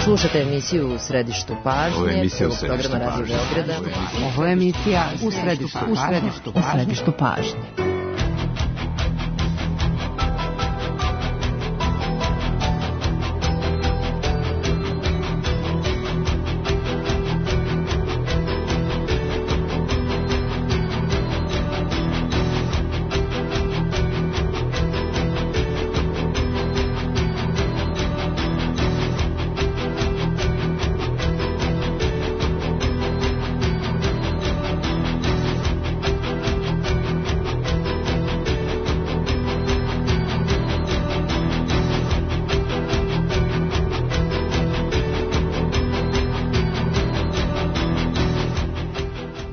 Slušate emisiju U središtu pažnje, programa Radio Beograda. Ovo je emisija U središtu pažnje.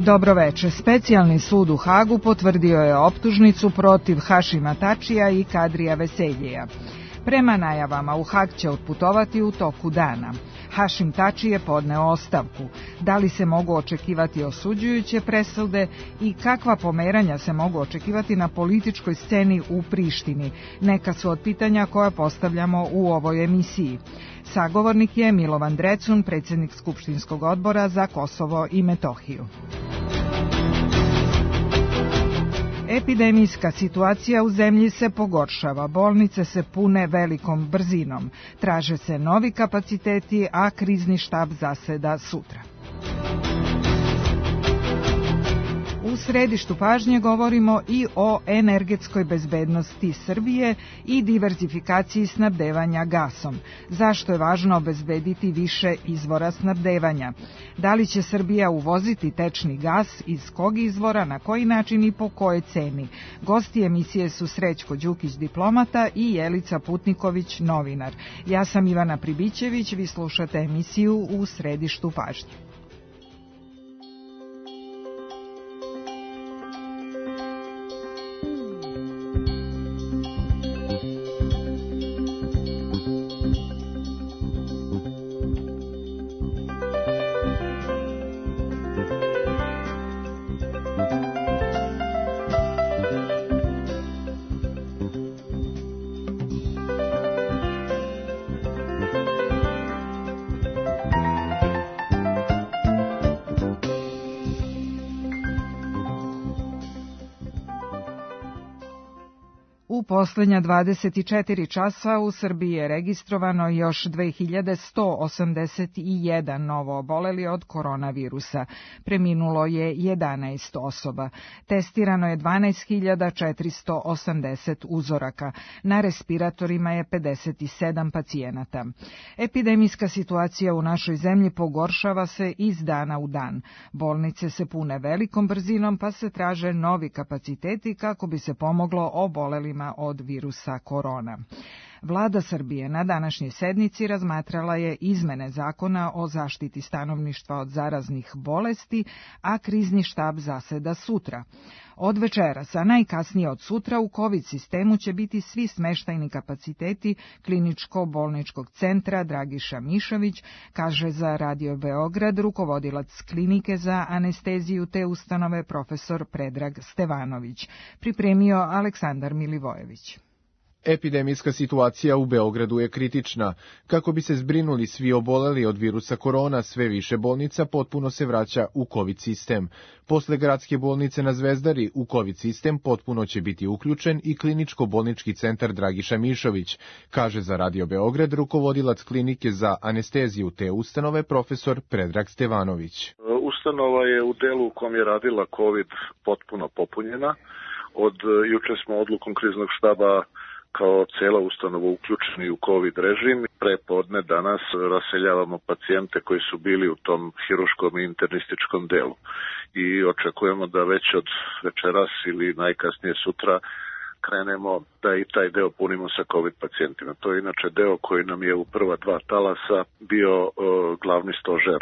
Dobro večer. Specijalni sud u Hagu potvrdio je optužnicu protiv Hašima Tačija i Kadrija Veseljeja. Prema najavama u Hag će otputovati u toku dana. Hašim Tači je podneo ostavku. Da li se mogu očekivati osuđujuće presude i kakva pomeranja se mogu očekivati na političkoj sceni u Prištini? Neka su od pitanja koja postavljamo u ovoj emisiji. Sagovornik je Milovan Drecun, predsjednik Skupštinskog odbora za Kosovo i Metohiju. Epidemijska situacija u zemlji se pogoršava, bolnice se pune velikom brzinom, traže se novi kapaciteti, a krizni štab zaseda sutra. U središtu pažnje govorimo i o energetskoj bezbednosti Srbije i diverzifikaciji snabdevanja gasom. Zašto je važno obezbediti više izvora snabdevanja? Da li će Srbija uvoziti tečni gas, iz kog izvora, na koji način i po kojoj ceni? Gosti emisije su Srećko Đukić, diplomata, i Jelica Putniković, novinar. Ja sam Ivana Pribićević, vi slušate emisiju U središtu pažnje. U posljednja 24 časa u Srbiji je registrovano još 2181 novo oboleli od koronavirusa. Preminulo je 11 osoba. Testirano je 12.480 uzoraka. Na respiratorima je 57 pacijenata. Epidemijska situacija u našoj zemlji pogoršava se iz dana u dan. Bolnice se pune velikom brzinom, pa se traže novi kapaciteti kako bi se pomoglo obolelima od virusa korona. Vlada Srbije na današnjoj sednici razmatrala je izmene zakona o zaštiti stanovništva od zaraznih bolesti, a krizni štab zaseda sutra. Od večeras, a najkasnije od sutra, u COVID sistemu će biti svi smeštajni kapaciteti kliničko-bolničkog centra Dragiša Mišović, kaže za Radio Beograd rukovodilac klinike za anesteziju te ustanove profesor Predrag Stevanović. Pripremio Aleksandar Milivojević. Epidemijska situacija u Beogradu je kritična. Kako bi se zbrinuli svi oboleli od virusa korona, sve više bolnica potpuno se vraća u COVID sistem. Posle gradske bolnice na Zvezdari u COVID sistem potpuno će biti uključen i kliničko-bolnički centar Dragiša Mišović, kaže za Radio Beograd rukovodilac klinike za anesteziju te ustanove profesor Predrag Stevanović. Ustanova je u delu u kom je radila COVID potpuno popunjena. Od juče smo odlukom kriznog štaba kao cijela ustanova uključeni u COVID režim. Prepodne danas raseljavamo pacijente koji su bili u tom hiruškom i internističkom delu. I očekujemo da već od večeras ili najkasnije sutra krenemo da i taj deo punimo sa COVID pacijentima. To je inače deo koji nam je u prva dva talasa bio glavni stožer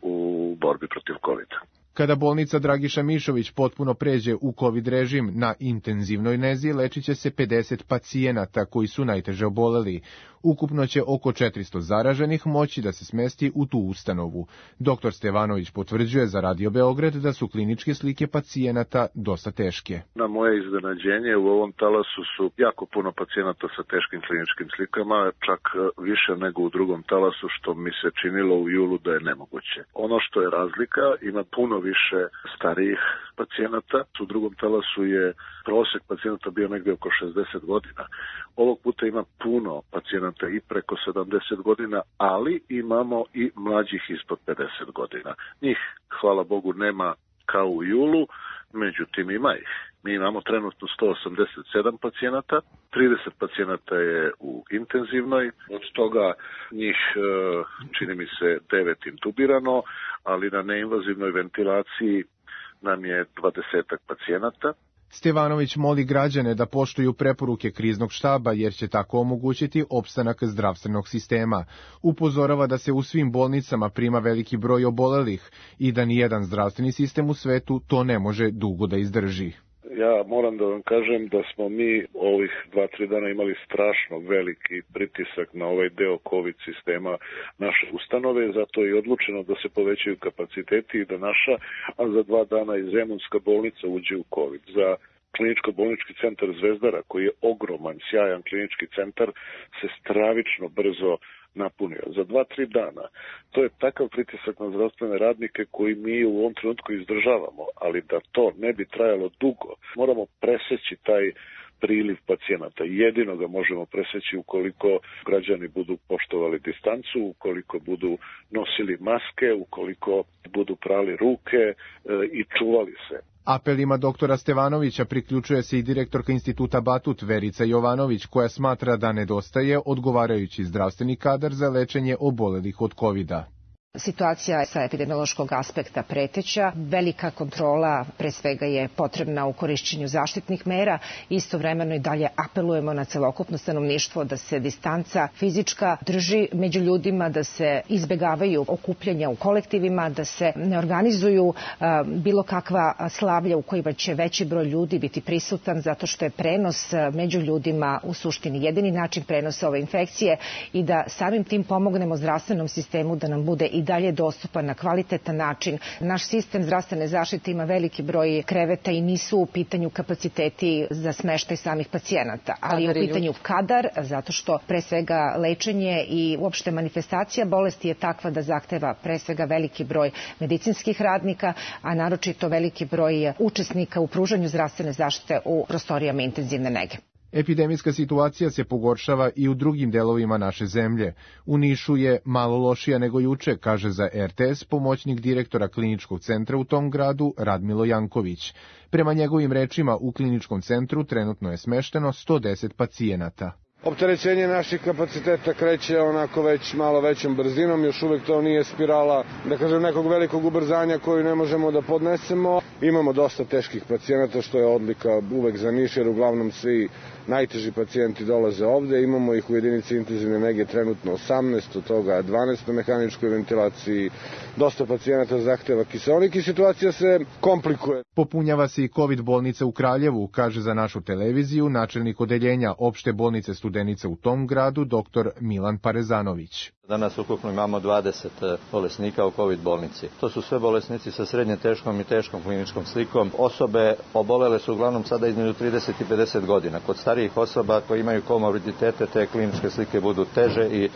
u borbi protiv COVID-a. Kada bolnica Dragiša Mišović potpuno pređe u COVID režim, na intenzivnoj nezi lečit će se 50 pacijenata koji su najteže oboleli. Ukupno će oko 400 zaraženih moći da se smesti u tu ustanovu. Dr. Stevanović potvrđuje za Radio Beograd da su kliničke slike pacijenata dosta teške. Na moje iznenađenje u ovom talasu su jako puno pacijenata sa teškim kliničkim slikama, čak više nego u drugom talasu, što mi se činilo u julu da je nemoguće. Ono što je razlika, ima puno više starijih pacijenata. U drugom talasu je prosjek pacijenata bio negdje oko 60 godina. Ovog puta ima puno pacijenata i preko 70 godina, ali imamo i mlađih ispod 50 godina. Njih, hvala Bogu, nema kao u julu, međutim ima ih. Mi imamo trenutno 187 pacijenata, 30 pacijenata je u intenzivnoj, od toga njih čini mi se 9 intubirano, ali na neinvazivnoj ventilaciji nam je 20 pacijenata. Stevanović moli građane da poštuju preporuke kriznog štaba jer će tako omogućiti opstanak zdravstvenog sistema. Upozorava da se u svim bolnicama prima veliki broj obolelih i da nijedan zdravstveni sistem u svetu to ne može dugo da izdrži. Ja moram da vam kažem da smo mi ovih 2-3 dana imali strašno veliki pritisak na ovaj deo COVID sistema naše ustanove, zato je odlučeno da se povećaju kapaciteti i da naša, a za 2 dana i Zemunska bolnica uđe u COVID. Za kliničko-bolnički centar Zvezdara, koji je ogroman, sjajan klinički centar, se stravično brzo napunio. Za 2-3 dana. To je takav pritisak na zdravstvene radnike koji mi u ovom trenutku izdržavamo, ali da to ne bi trajalo dugo, moramo preseći taj priliv pacijenata. Jedino ga možemo preseći ukoliko građani budu poštovali distancu, ukoliko budu nosili maske, ukoliko budu prali ruke i čuvali se. Apelima doktora Stevanovića priključuje se i direktorka Instituta Batut Verica Jovanović, koja smatra da nedostaje odgovarajući zdravstveni kadar za lečenje obolelih od COVID-a. Situacija sa epidemiološkog aspekta preteća, velika kontrola pre svega je potrebna u korišćenju zaštitnih mera, istovremeno i dalje apelujemo na celokupno stanovništvo da se distanca fizička drži među ljudima, da se izbegavaju okupljanja u kolektivima, da se ne organizuju bilo kakva slavlja u kojima će veći broj ljudi biti prisutan, zato što je prenos među ljudima u suštini jedini način prenosa ove infekcije i da samim tim pomognemo zdravstvenom sistemu da nam bude i dalje dostupan na kvalitetan način. Naš sistem zdravstvene zaštite ima veliki broj kreveta i nisu u pitanju kapaciteti za smeštaj samih pacijenata, ali je u pitanju kadar, zato što pre svega lečenje i uopšte manifestacija bolesti je takva da zahteva pre svega veliki broj medicinskih radnika, a naročito veliki broj učesnika u pružanju zdravstvene zaštite u prostorijama intenzivne nege. Epidemijska situacija se pogoršava i u drugim delovima naše zemlje. U Nišu je malo lošija nego juče, kaže za RTS pomoćnik direktora kliničkog centra u tom gradu Radmilo Janković. Prema njegovim rečima, u kliničkom centru trenutno je smešteno 110 pacijenata. Opterećenje naših kapaciteta kreće onako već malo većom brzinom, još uvijek to nije spirala, da kažem, nekog velikog ubrzanja koju ne možemo da podnesemo. Imamo dosta teških pacijenata, što je odlika uvek za Niš, jer uglavnom svi najteži pacijenti dolaze ovde. Imamo ih u jedinici intenzivne nege trenutno 18, od toga 12 na mehaničkoj ventilaciji. Dosta pacijenata zahteva kiseonik i situacija se komplikuje. Popunjava se i COVID bolnica u Kraljevu, kaže za našu televiziju načelnik odeljenja opšte bolnice Studenica u tom gradu, dr. Milan Parezanović. Danas ukupno imamo 20 bolesnika u COVID bolnici. To su sve bolesnici sa srednje teškom i teškom kliničkom slikom. Osobe obolele su uglavnom sada između 30 i 50 godina. Kod starijih osoba koji imaju komorbiditete, te kliničke slike budu teže i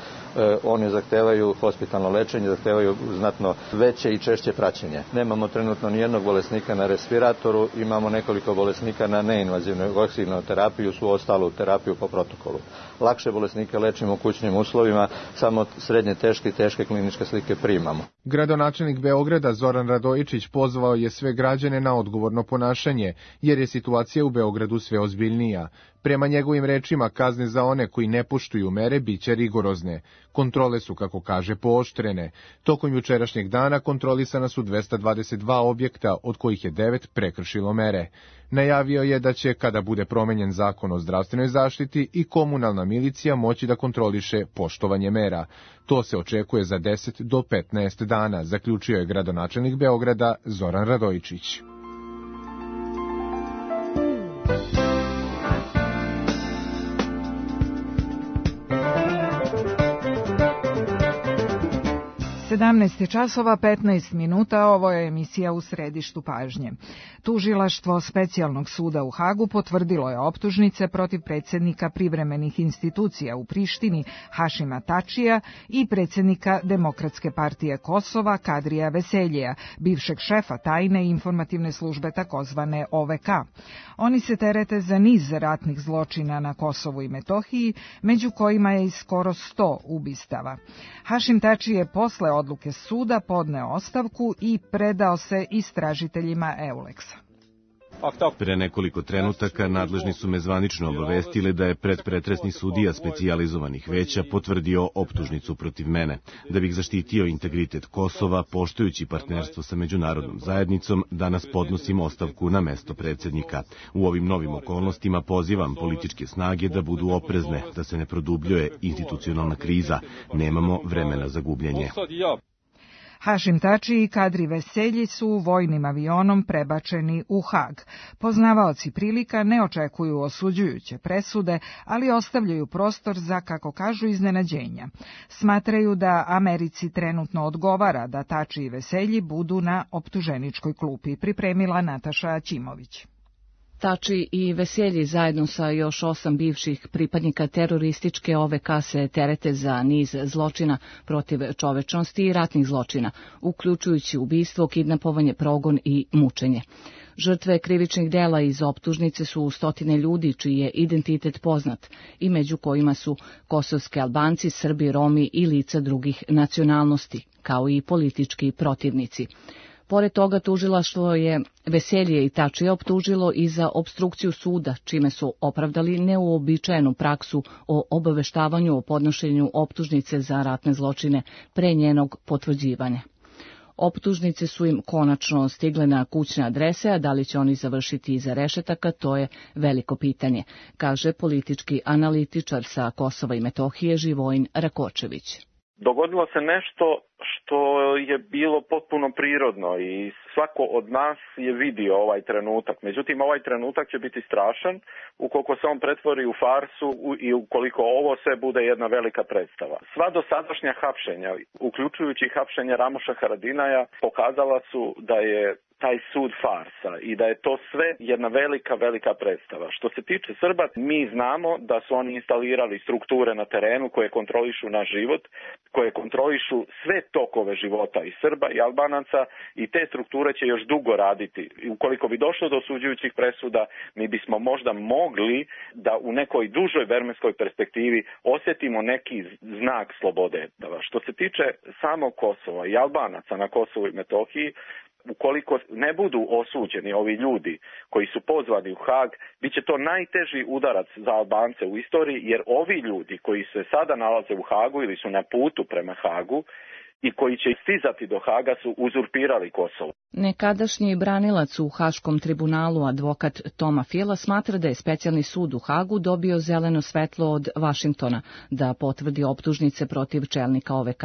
one zahtevaju hospitalno lečenje, zahtevaju znatno veće i češće praćenje. Nemamo trenutno nijednog bolesnika na respiratoru, imamo nekoliko bolesnika na neinvazivnoj oksigenoj terapiju, svu ostalu terapiju po protokolu. Lakše bolesnike lečimo u kućnim uslovima, samo srednje teške i teške kliničke slike primamo. Gradonačelnik Beograda Zoran Radojičić pozvao je sve građane na odgovorno ponašanje, jer je situacija u Beogradu sve ozbiljnija. Prema njegovim rečima, kazne za one koji ne poštuju mere biće rigorozne. Kontrole su, kako kaže, pooštrene. Tokom jučerašnjeg dana kontrolisana su 222 objekta, od kojih je 9 prekršilo mere. Najavio je da će, kada bude promenjen zakon o zdravstvenoj zaštiti, i komunalna milicija moći da kontroliše poštovanje mera. To se očekuje za 10 do 15 dana, zaključio je gradonačelnik Beograda Zoran Radojičić. časova 15 minuta, ovo je emisija U središtu pažnje. Tužilaštvo Specijalnog suda u Hagu potvrdilo je optužnice protiv predsjednika privremenih institucija u Prištini Hašima Tačija i predsjednika Demokratske partije Kosova Kadrija Veseljija, bivšeg šefa tajne i informativne službe takozvane OVK. Oni se terete za niz ratnih zločina na Kosovu i Metohiji, među kojima je i skoro 100 ubistava. Hašim Tači je posle odluke suda podneo ostavku i predao se istražiteljima Euleksa. Pre nekoliko trenutaka nadležni su me zvanično obavestili da je predpretresni sudija specijalizovanih veća potvrdio optužnicu protiv mene. Da bih zaštitio integritet Kosova, poštujući partnerstvo sa međunarodnom zajednicom, danas podnosim ostavku na mesto predsjednika. U ovim novim okolnostima pozivam političke snage da budu oprezne, da se ne produbljuje institucionalna kriza. Nemamo vremena za gubljenje. Hašim Tači i Kadri Veselji su vojnim avionom prebačeni u Hag. Poznavaoci prilika ne očekuju osuđujuće presude, ali ostavljaju prostor za, kako kažu, iznenađenja. Smatraju da Americi trenutno odgovara da Tači i Veselji budu na optuženičkoj klupi, pripremila Nataša Aćimović. Tači i Veselji zajedno sa još 8 bivših pripadnika terorističke OVK se terete za niz zločina protiv čovečnosti i ratnih zločina, uključujući ubistvo, kidnapovanje, progon i mučenje. Žrtve krivičnih dela iz optužnice su stotine ljudi čiji je identitet poznat i među kojima su kosovski Albanci, Srbi, Romi i lica drugih nacionalnosti, kao i politički protivnici. Pored toga, tužilaštvo je Veselje i Tačija optužilo i za opstrukciju suda, čime su opravdali neuobičajenu praksu o obaveštavanju o podnošenju optužnice za ratne zločine pre njenog potvrđivanja. Optužnice su im konačno stigle na kućne adrese, a da li će oni završiti iza rešetaka, to je veliko pitanje, kaže politički analitičar sa Kosova i Metohije Živojin Rakočević. Dogodilo se nešto što je bilo potpuno prirodno i svako od nas je vidio ovaj trenutak. Međutim, ovaj trenutak će biti strašan ukoliko se on pretvori u farsu i ukoliko ovo sve bude jedna velika predstava. Sva dosadašnja hapšenja, uključujući hapšenje Ramoša Haradinaja, pokazala su da je taj sud farsa i da je to sve jedna velika predstava. Što se tiče Srba, mi znamo da su oni instalirali strukture na terenu koje kontrolišu naš život, koje kontrolišu sve tokove života i Srba i Albanaca i te strukture će još dugo raditi. Ukoliko bi došlo do osuđujućih presuda, mi bismo možda mogli da u nekoj dužoj vremenskoj perspektivi osjetimo neki znak slobode. Što se tiče samog Kosova i Albanaca na Kosovu i Metohiji, ukoliko ne budu osuđeni ovi ljudi koji su pozvani u Hag, bit će to najteži udarac za Albance u istoriji, jer ovi ljudi koji se sada nalaze u Hagu ili su na putu prema Hagu i koji će stizati do Haga su uzurpirali Kosovo. Nekadašnji branilac u Haškom tribunalu, advokat Toma Fila, smatra da je specijalni sud u Hagu dobio zeleno svetlo od Vašingtona da potvrdi optužnice protiv čelnika OVK.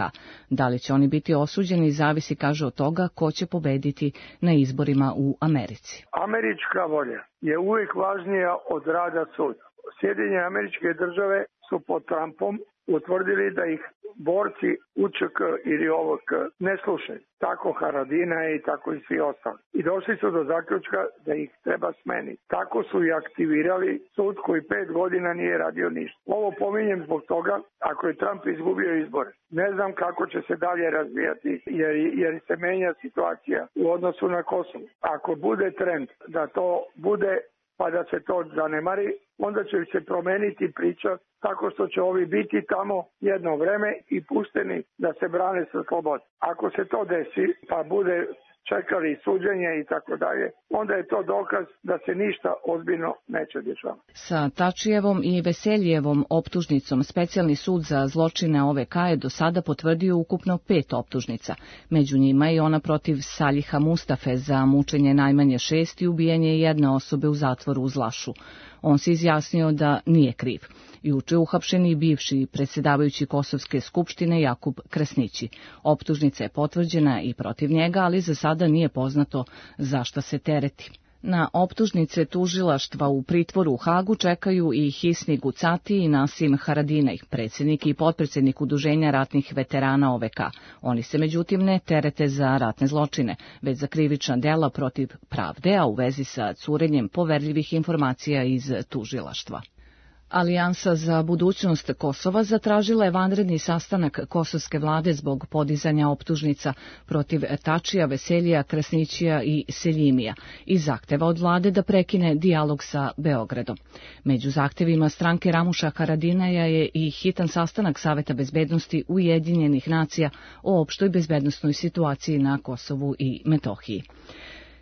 Da li će oni biti osuđeni zavisi, kaže, od toga ko će pobediti na izborima u Americi. Američka volja je uvijek važnija od rada suda. Sjedinjene Američke Države su pod Trumpom utvrdili da ih borci UČK ili OVK ne slušaju. Tako Haradina i tako i svi ostali. I došli su do zaključka da ih treba smeniti. Tako su i aktivirali sud koji 5 godina nije radio ništa. Ovo pominjem zbog toga, ako je Trump izgubio izbore. Ne znam kako će se dalje razvijati jer se menja situacija u odnosu na Kosovo. Ako bude trend da to bude pa da se to zanemari, onda će se promeniti priča tako što će ovi biti tamo jedno vreme i pušteni da se brane sa slobodom. Ako se to desi, pa bude čekali suđenje i tako dalje, onda je to dokaz da se ništa ozbiljno neće dešavati. Sa Tačijevom i Veseljevom optužnicom Specijalni sud za zločine OVK je do sada potvrdio ukupno 5 optužnica. Među njima je ona protiv Saliha Mustafe za mučenje najmanje 6 i ubijanje jedne osobe u zatvoru u Zlašu. On se izjasnio da nije kriv. Juče uhapšen i bivši predsjedavajući Kosovske skupštine Jakub Krasnići. Optužnica je potvrđena i protiv njega, ali za sada nije poznato za šta se tereti. Na optužnice tužilaštva u pritvoru u Hagu čekaju i Hisni Gucati i Nasim Haradinaj, predsjednik i potpredsjednik Udruženja ratnih veterana OVK. Oni se međutim ne terete za ratne zločine, već za krivična dela protiv pravde, a u vezi sa curenjem poverljivih informacija iz tužilaštva. Alijansa za budućnost Kosova zatražila je vanredni sastanak kosovske vlade zbog podizanja optužnica protiv Tačija, Veseljija, Krasnićija i Seljimija i zahteva od vlade da prekine dijalog sa Beogradom. Među zahtevima stranke Ramuša Haradinaja je i hitan sastanak Saveta bezbednosti Ujedinjenih nacija o opštoj bezbednosnoj situaciji na Kosovu i Metohiji.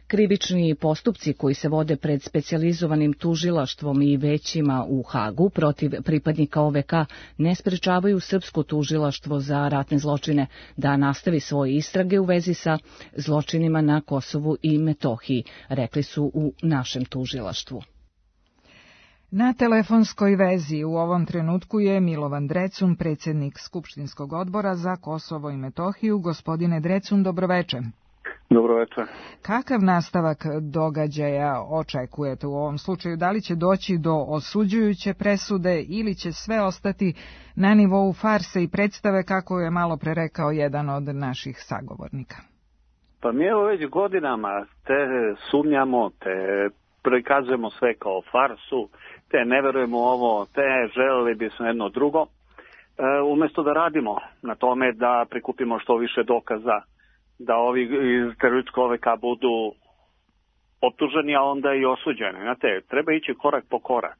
Krivični postupci koji se vode pred specijalizovanim tužilaštvom i većima u Hagu protiv pripadnika OVK ne sprečavaju srpsko tužilaštvo za ratne zločine da nastavi svoje istrage u vezi sa zločinima na Kosovu i Metohiji, rekli su u našem tužilaštvu. Na telefonskoj vezi u ovom trenutku je Milovan Drecun, predsjednik Skupštinskog odbora za Kosovo i Metohiju. Gospodine Drecun, dobroveče. Dobro večer. Kakav nastavak događaja očekujete u ovom slučaju? Da li će doći do osuđujuće presude ili će sve ostati na nivou farse i predstave, kako je malo pre rekao jedan od naših sagovornika? Pa mi evo već godinama te sumnjamo, te prikazujemo sve kao farsu, te ne verujemo ovo, te želeli bismo jedno drugo. Umjesto da radimo na tome da prikupimo što više dokaza, da ovi iz terorističkog OVK budu optuženi, a onda i osuđeni. Znate, treba ići korak po korak.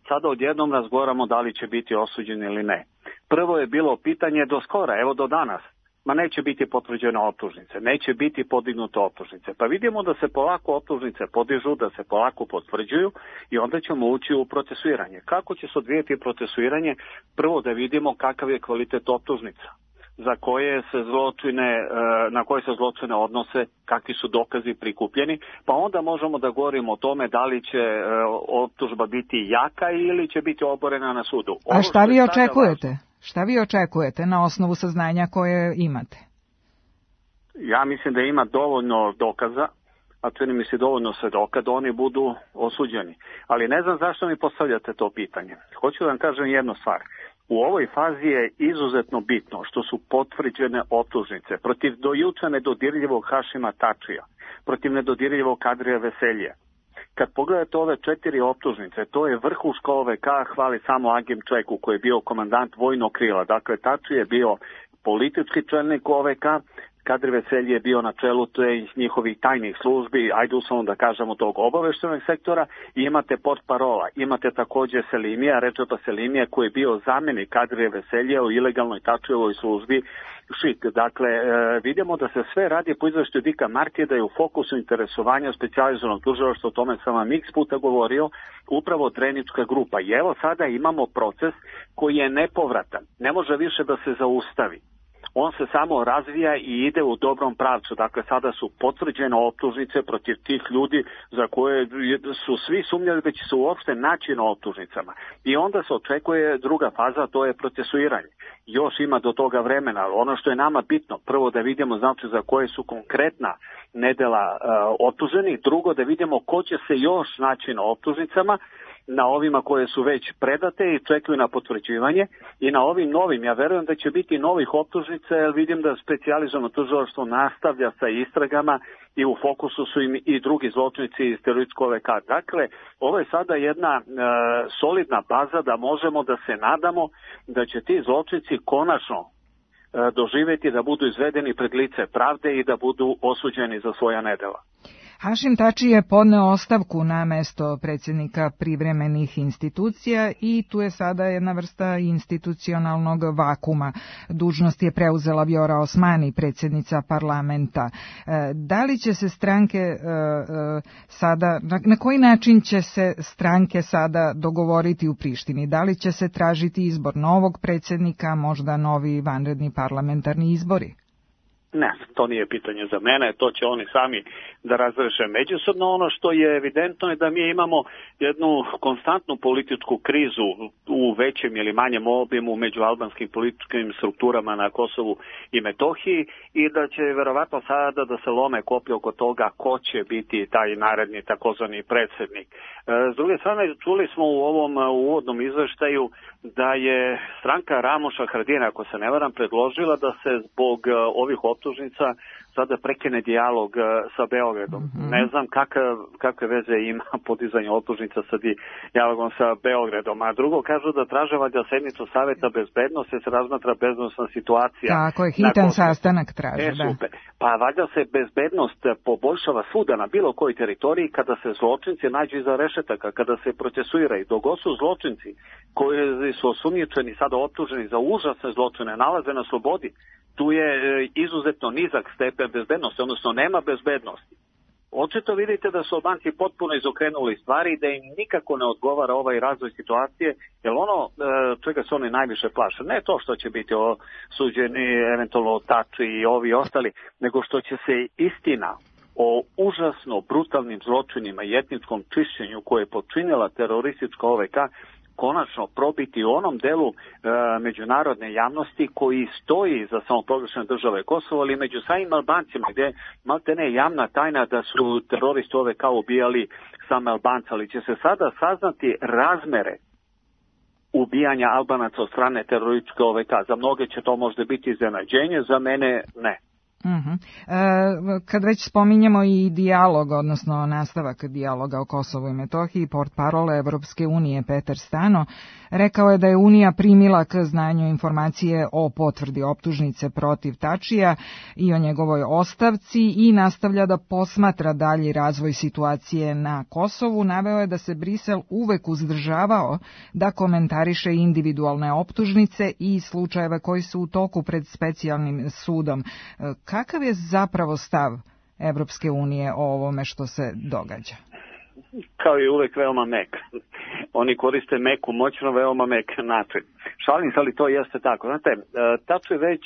Sada odjednom razgovaramo da li će biti osuđeni ili ne. Prvo je bilo pitanje do skora, evo do danas. Ma neće biti potvrđene optužnice, neće biti podignute optužnice. Pa vidimo da se polako optužnice podižu, da se polako potvrđuju i onda ćemo ući u procesuiranje. Kako će se odvijeti procesuiranje? Prvo da vidimo kakav je kvalitet optužnica, za koje se zločine, na koje se zločine odnose, kakvi su dokazi prikupljeni, pa onda možemo da govorimo o tome da li će optužba biti jaka ili će biti oborena na sudu. A šta vi očekujete? Šta vi očekujete na osnovu saznanja koje imate? Ja mislim da ima dovoljno dokaza, a čini mi se dovoljno svedoka da oni budu osuđeni. Ali ne znam zašto mi postavljate to pitanje. Hoću da vam kažem jednu stvar. U ovoj fazi je izuzetno bitno što su potvrđene optužnice protiv do juče nedodirljivog Hašima Tačija, protiv nedodirljivog Kadrija Veselje. Kad pogledate ove 4 optužnice, to je vrhuška OVK, hvali samo Agim Čeku koji je bio komandant vojnog krila. Dakle, Tači je bio politički čelnik OVK, Kadri Veselji je bio na čelu njihovih tajnih službi, ajde uslovno da kažemo tog obaveštenog sektora, i imate portparola, imate također Selimija, Redžepa Selimija koji je bio zamjenik Kadrije Veselje u ilegalnoj Tačijevoj službi ŠIK. Dakle, vidimo da se sve radi po izveštaju Dika Martije, da je u fokusu interesovanja specijalizovanog tužilaštva, o tome sam vam x puta govorio, upravo Drenička grupa. I evo sada imamo proces koji je nepovratan, ne može više da se zaustavi. On se samo razvija i ide u dobrom pravcu. Dakle, sada su potvrđene optužnice protiv tih ljudi za koje su svi sumnjali da će se uopšte naći na optužnicama. I onda se očekuje druga faza, to je procesuiranje. Još ima do toga vremena. Ono što je nama bitno, prvo da vidimo znači za koje su konkretna nedela optuženi, drugo da vidimo ko će se još naći na optužnicama, na ovima koje su već predate i čekaju na potvrđivanje, i na ovim novim. Ja verujem da će biti novih optužnica, jer vidim da specijalizovano tužilaštvo nastavlja sa istragama i u fokusu su im i drugi zločinici iz terorističkog OVK. Dakle, ovo je sada jedna solidna baza da možemo da se nadamo da će ti zločinici konačno doživjeti da budu izvedeni pred lice pravde i da budu osuđeni za svoja nedela. Hašim Tači je podneo ostavku na mesto predsjednika privremenih institucija i tu je sada jedna vrsta institucionalnog vakuma. Dužnost je preuzela Vjora Osmani, predsjednica parlamenta. Da li će se stranke sada, na koji način će se stranke sada dogovoriti u Prištini? Da li će se tražiti izbor novog predsjednika, možda novi vanredni parlamentarni izbori? Ne, to nije pitanje za mene, to će oni sami da razreše međusobno. Ono što je evidentno je da mi imamo jednu konstantnu političku krizu u većem ili manjem obimu među albanskim političkim strukturama na Kosovu i Metohiji i da će verovatno sada da se lome koplje oko toga ko će biti taj naredni takozvani predsjednik. S druge strane, čuli smo u ovom uvodnom izveštaju da je stranka Ramoša Haradinja, ako se ne varam, predložila da se zbog ovih optužnica sada prekine dijalog sa Beogradom. Ne znam kakve veze ima podizanje optužnica sa dijalogom sa Beogradom. A drugo, kažu da traže valjda sednicu Saveta bezbednosti, se razmatra bezbednosna situacija. Tako je, hitan sastanak traže, da. Super. Pa valjda se bezbednost poboljšava svuda na bilo kojoj teritoriji kada se zločinci nađu iza rešetaka, kada se procesuiraju. Dok su zločinci koji su osumnjičeni, sada optuženi za užasne zločine, nalaze na slobodi, tu je izuzetno nizak stepen bezbednosti, odnosno nema bezbednosti. Očito vidite da su Albanci potpuno izokrenuli stvari i da im nikako ne odgovara ovaj razvoj situacije, jer ono čega se oni najviše plaše, ne to što će biti osuđeni eventualno Tači i ovi ostali, nego što će se istina o užasno brutalnim zločinima i etničkom čišćenju koje je počinila teroristička OVK konačno probiti u onom delu međunarodne javnosti koji stoji za samoproglašene države Kosovo, ali među samim Albancima, gdje maltene javna tajna da su teroristi OVK ubijali same Albance, ali će se sada saznati razmere ubijanja Albanaca od strane terorističke OVK. Za mnoge će to možda biti iznenađenje, za mene ne. Kad već spominjemo i dijalog, odnosno nastavak dijaloga o Kosovu i Metohiji, portparole Evropske unije Petar Stano rekao je da je Unija primila k znanju informacije o potvrdi optužnice protiv Tačija i o njegovoj ostavci i nastavlja da posmatra dalji razvoj situacije na Kosovu. Naveo je da se Brisel uvek uzdržavao da komentariše individualne optužnice i slučajeve koji su u toku pred specijalnim sudom. Kakav je zapravo stav Evropske unije o ovome što se događa? Kao i uvek veoma mek. Oni koriste meku, moćno, veoma mek način. Šalim se, ali to jeste tako. Znate, Tači već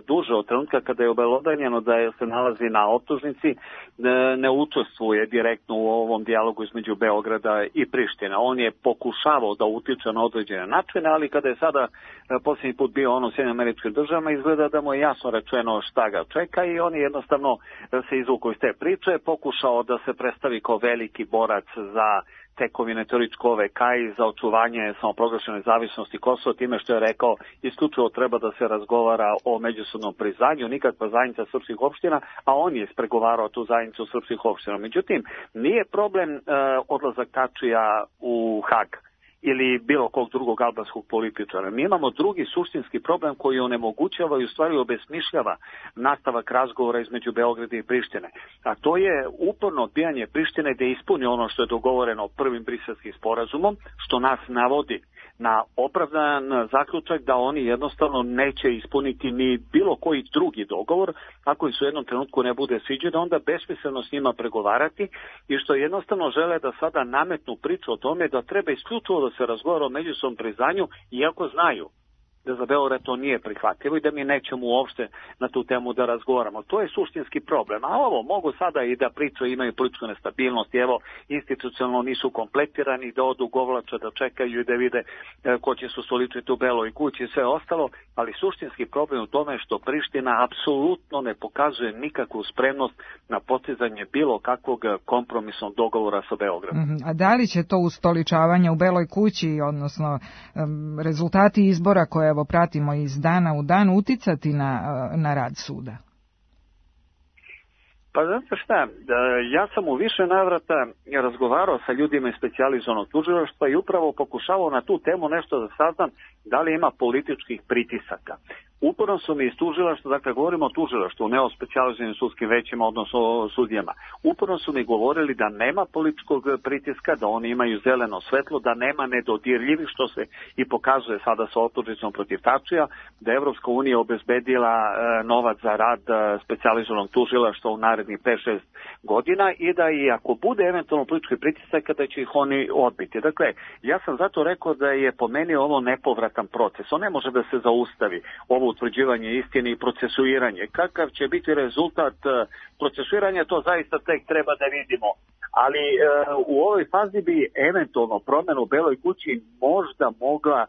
duže od trenutka kada je obelodanjeno da se nalazi na optužnici, ne učestvuje direktno u ovom dijalogu između Beograda i Prištine. On je pokušavao da utiče na određene načine, ali kada je sada posljednji put bio on u Sjedinjenim Američkim Državama, izgleda da mu je jasno rečeno šta ga čeka i on je jednostavno se izvukao iz te priče, pokušao da se predstavi kao veliki borac za tekovine terorističke OVK i za očuvanje samoproglašene nezavisnosti Kosova, time što je rekao isključivo treba da se razgovara o međusobnom priznanju, nikakva zajednica srpskih opština, a on je ispregovarao tu zajednicu srpskih opština. Međutim, nije problem odlazak Tačija u Hag ili bilo kog drugog albanskog političara. Mi imamo drugi suštinski problem koji onemogućava i u stvari obesmišljava nastavak razgovora između Beograda i Prištine. A to je uporno odbijanje Prištine da ispuni ono što je dogovoreno prvim briselskim sporazumom, što nas navodi na opravdan zaključak da oni jednostavno neće ispuniti ni bilo koji drugi dogovor, ako im se u jednom trenutku ne bude sviđeno, onda besmisleno s njima pregovarati i što jednostavno žele da sada nametnu priču o tome da treba isključivo da se razgovara o međusobnom priznanju, iako znaju da za Beograd to nije prihvatljivo i da mi nećemo uopšte na tu temu da razgovaramo. To je suštinski problem. A ovo mogu sada i da pričaju, imaju političku nestabilnost, evo, institucionalno nisu kompletirani, da odu govlača, da čekaju i da vide ko će se ustoličiti u Beloj kući i sve ostalo, ali suštinski problem u tome što Priština apsolutno ne pokazuje nikakvu spremnost na postizanje bilo kakvog kompromisnog dogovora sa Beogradom. A da li će to ustoličavanje u Beloj kući, odnosno rezultati izbora koje evo pratimo iz dana u dan, uticati na rad suda? Pa znate šta, ja sam u više navrata razgovarao sa ljudima iz specijalizovanog tužilaštva i upravo pokušavao na tu temu nešto da saznam da li ima političkih pritisaka. Uporno su mi iz tužilaštva, dakle govorimo o tužilaštvu, ne o specijalizovanim sudskim većima, odnosno o sudijama. Uporno su mi govorili da nema političkog pritiska, da oni imaju zeleno svetlo, da nema nedodirljivih, što se i pokazuje sada sa optužnicom protiv Tačija, da je Evropska unija obezbedila novac za rad specijalizovanog tužilaštva u narednih 5-6 godina i da i ako bude eventualno politički pritisak, kada će ih oni odbiti. Dakle, ja sam zato rekao da je po meni ovo nepovratan proces. On ne može da se zaustavi, ovo utvrđivanje istine i procesuiranje. Kakav će biti rezultat procesuiranja, to zaista tek treba da vidimo. Ali u ovoj fazi bi eventualno promjena u Beloj kući možda mogla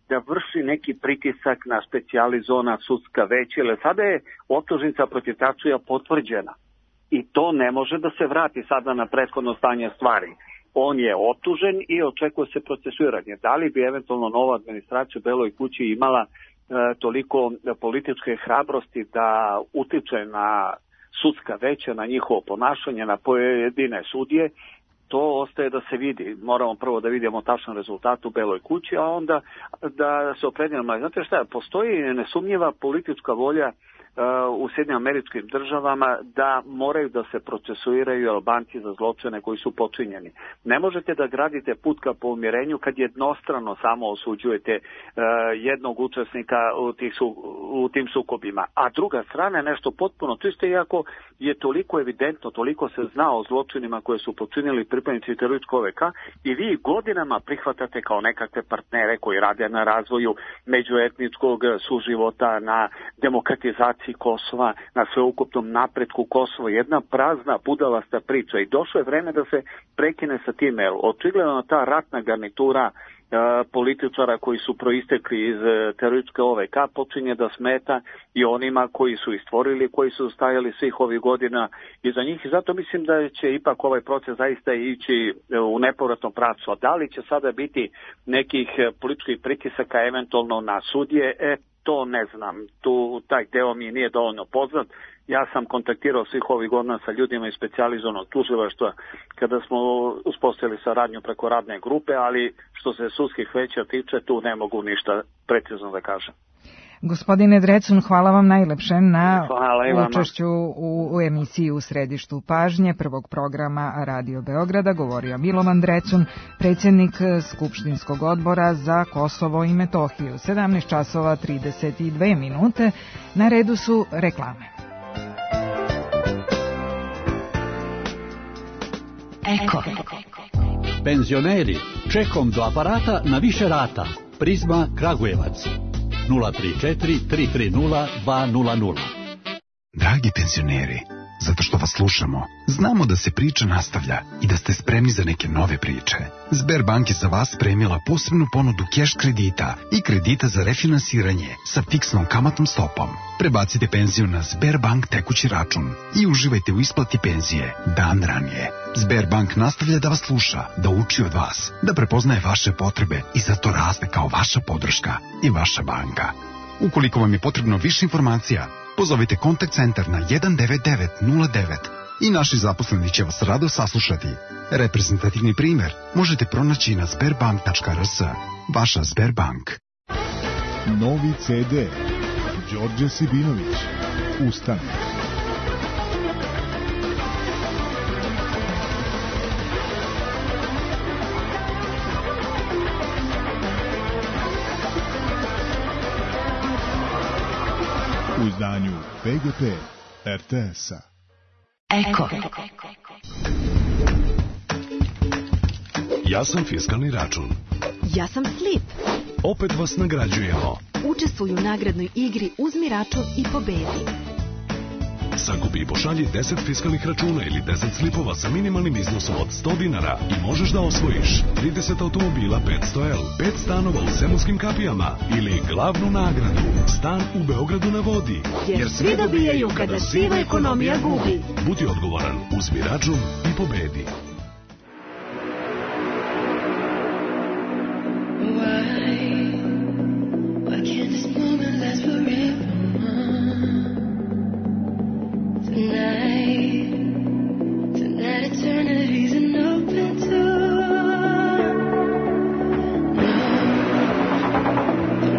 da vrši neki pritisak na specijalizovana sudska veća, jer sada je optužnica protiv Tačija potvrđena. I to ne može da se vrati sada na prethodno stanje stvari. On je optužen i očekuje se procesuiranje. Da li bi eventualno nova administracija u Beloj kući imala toliko političke hrabrosti da utiče na sudska veća, na njihovo ponašanje, na pojedine sudije, to ostaje da se vidi. Moramo prvo da vidimo tačan rezultat u Beloj kući, a onda da se opredjelimo. Znate šta, postoji nesumnjiva politička volja u Sjedinjenim Američkim Državama da moraju da se procesuiraju Albanci za zločine koji su počinjeni. Ne možete da gradite put ka pomirenju kad jednostrano samo osuđujete jednog učesnika u tim sukobima. A druga strana je nešto potpuno čisto, iako je toliko evidentno, toliko se zna o zločinima koje su počinili pripadnici terorističkog OVK i vi godinama prihvatate kao nekakve partnere koji rade na razvoju međuetničkog suživota, na demokratizaciji Kosova, na sveukupnom napretku Kosova, jedna prazna budalasta priča i došlo je vreme da se prekine sa time. Očigledno ta ratna garnitura političara koji su proistekli iz terorističke OVK počinje da smeta i onima koji su istvorili, koji su stajali svih ovih godina iza njih i zato mislim da će ipak ovaj proces zaista ići u nepovratnom pravcu. A da li će sada biti nekih političkih pritisaka eventualno na sudije, to ne znam, taj deo mi nije dovoljno poznat. Ja sam kontaktirao svih ovih godina sa ljudima iz specijalizovanog tužilaštva kada smo uspostavili saradnju preko radne grupe, ali što se sudskih veća tiče, tu ne mogu ništa precizno da kažem. Gospodine Drecun, hvala vam najlepše na učešću u emisiji U središtu pažnje prvog programa Radio Beograda. Govorio Milovan Drecun, predsjednik Skupštinskog odbora za Kosovo i Metohiju. 17 časova 32 minute. Na redu su reklame. Eko. Penzioneri, čekom do aparata na više rata. Prizma Kragujevac. 034 330 200. Dragi penzioneri, zato što vas slušamo, znamo da se priča nastavlja i da ste spremni za neke nove priče. Sberbank je za vas spremila posebnu ponudu keš kredita i kredita za refinansiranje sa fiksnom kamatnom stopom. Prebacite penziju na Sberbank tekući račun i uživajte u isplati penzije dan ranije. Sberbank nastavlja da vas sluša, da uči od vas, da prepoznaje vaše potrebe i zato raste kao vaša podrška i vaša banka. Ukoliko vam je potrebno više informacija, pozovite kontakt centar na 19909 i naši zaposleni će vas rado saslušati. Reprezentativni primjer možete pronaći na sberbank.rs. Vaša Sberbank. Novi CD Đorđe Sibinović. Ustane. U izdanju PGP RTS-a. Eko. Ja sam fiskalni račun. Ja sam Slip. Opet vas nagrađujemo. Učestvuj u nagradnoj igri Uzmi račun i pobedi. Sakupi i pošalji 10 fiskalnih računa ili 10 slipova sa minimalnim iznosom od 100 dinara i možeš da osvojiš 30 automobila 500L, 5 stanova u Zemunskim kapijama ili glavnu nagradu, stan u Beogradu na vodi. Jer svi dobijaju kada siva ekonomija gubi. Budi odgovoran, uzmi račun i pobedi.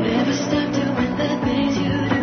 Never stop doing the things you do.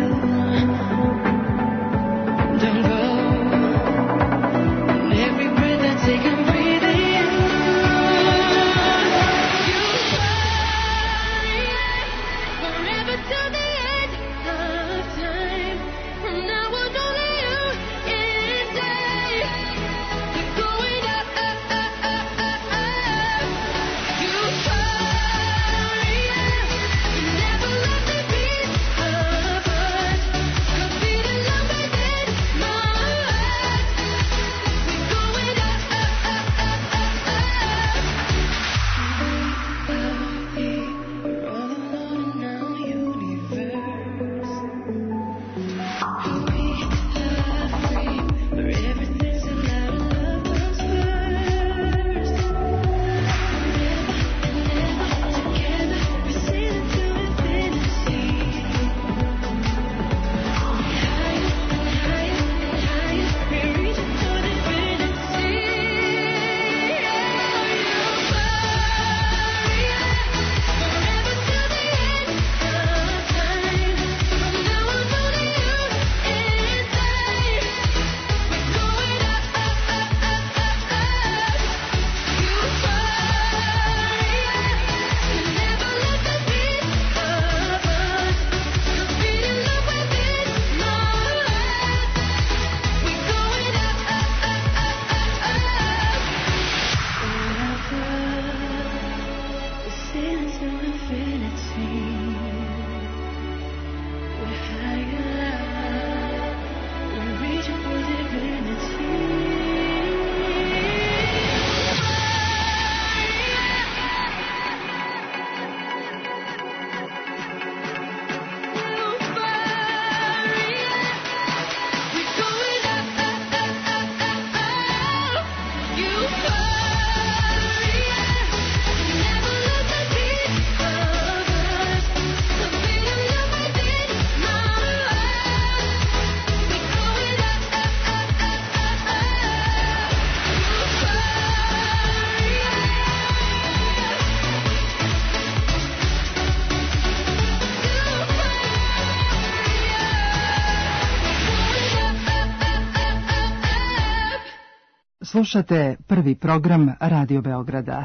Slušate prvi program Radio Beograda.